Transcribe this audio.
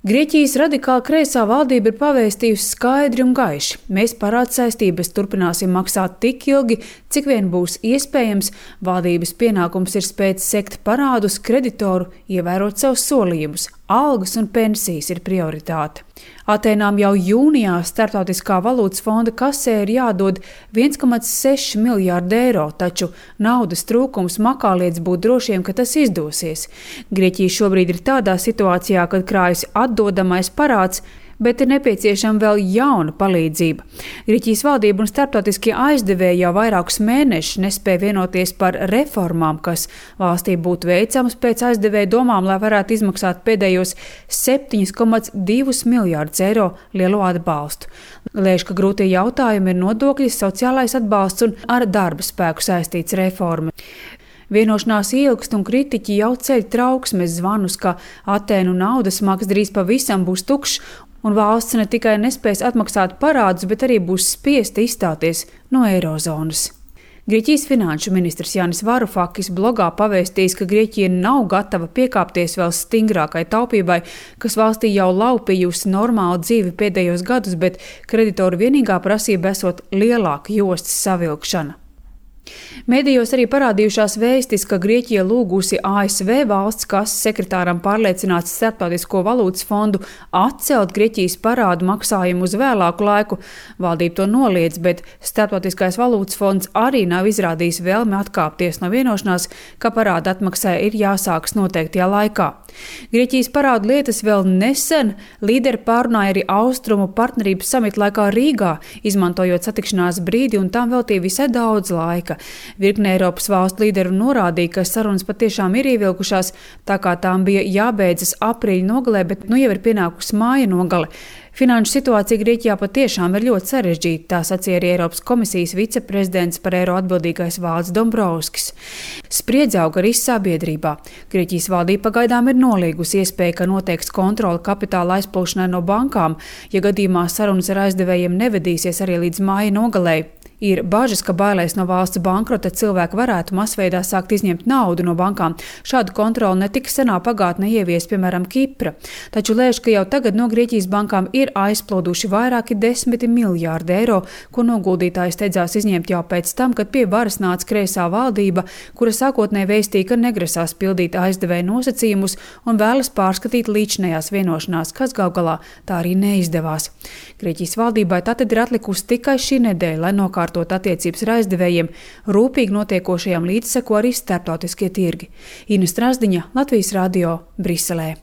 Grieķijas radikāli kreisā valdība ir pavēstījusi skaidri un gaiši. Mēs parādsaistības turpināsim maksāt tik ilgi, cik vien būs iespējams. Valdības pienākums ir spēt sekt parādus kreditoru, ievērot savus solījumus. Algas un pensijas ir prioritāte. Atēnām jau jūnijā Starptautiskā valūtas fonda kasē ir jādod 1,6 miljārdi eiro, taču naudas trūkums makā liedz būt drošiem, ka tas izdosies. Grieķija šobrīd ir tādā situācijā, kad krājas atdodamais parāds, bet ir nepieciešama vēl jauna palīdzība. Grieķijas valdība un starptautiskie aizdevēji jau vairākus mēnešus nespēja vienoties par reformām, kas valstī būtu veicamas pēc aizdevēja domām, lai varētu izmaksāt pēdējos 7,2 miljārdus eiro lielo atbalstu. Lēš, ka grūtie jautājumi ir nodokļi, sociālais atbalsts un ar darba spēku saistīts reforma. Vienošanās ilgst un kritiķi jau ceļ trauksmes zvanus, ka Atēnu naudas maks drīz pavisam būs tukšs, un valsts ne tikai nespēs atmaksāt parādus, bet arī būs spiesta izstāties no eirozonas. Grieķijas finanšu ministrs Jānis Varufakis blogā pavēstījis, ka Grieķija nav gatava piekāpties vēl stingrākai taupībai, kas valstī jau laupījusi normālu dzīvi pēdējos gadus, bet kreditoru vienīgā prasība esot lielāka jostas savilkšana. Mēdījos arī parādījušās vēstis, ka Grieķija lūgusi ASV valsts kases sekretāram pārliecināt Starptautisko valūtas fondu atcelt Grieķijas parādu maksājumu uz vēlāku laiku. Valdība to noliedz, bet Starptautiskais valūtas fonds arī nav izrādījis vēlmi atkāpties no vienošanās, ka parāda atmaksai ir jāsākas noteiktajā laikā. Grieķijas parādu lietas vēl nesen līderi pārunāja arī Austrumu partnerības samita laikā Rīgā, izmantojot satikšanās brīdi, un tam veltīja visai daudz laika. Virkne Eiropas valstu līderu norādīja, ka sarunas patiešām ir ievilkušās, tā kā tām bija jābeidzas aprīļa nogalē, bet nu jau ir pienākusi māja nogale. Finanšu situācija Grieķijā patiešām ir ļoti sarežģīta, tā sacīja arī Eiropas komisijas viceprezidents par eiro atbildīgais Valdis Dombrovskis. Spriedze aug arī sabiedrībā. Grieķijas valdība pagaidām ir nolīgusi iespēju, ka noteiks kontroli kapitāla aizplūšanai no bankām, ja gadījumā sarunas ar aizdevējiem nevedīsies arī līdz māja nogalei. Ir bažas, ka bailēs no valsts bankrota cilvēki varētu masveidā sākt izņemt naudu no bankām. Šādu kontroli netika senā pagātnē ievies, piemēram, Kipra. Taču lēš, ka jau tagad no Grieķijas bankām ir aizplūduši vairāki 10 miljārdi eiro, ko noguldītāji steidzās izņemt jau pēc tam, kad pie varas nāca kreisā valdība, kura sākotnēji vēstīja, ka negrasās pildīt aizdevēja nosacījumus un vēlas pārskatīt līdzinējās vienošanās, kas gal galā tā arī neizdevās. Grieķijas valdībai tātad ir atlikusi tikai šī nedēļa, lai nokārtot attiecības ar aizdevējiem, rūpīgi notiekošajām līdzseko arī starptautiskie tirgi. Ina Strazdiņa, Latvijas radio, Briselē.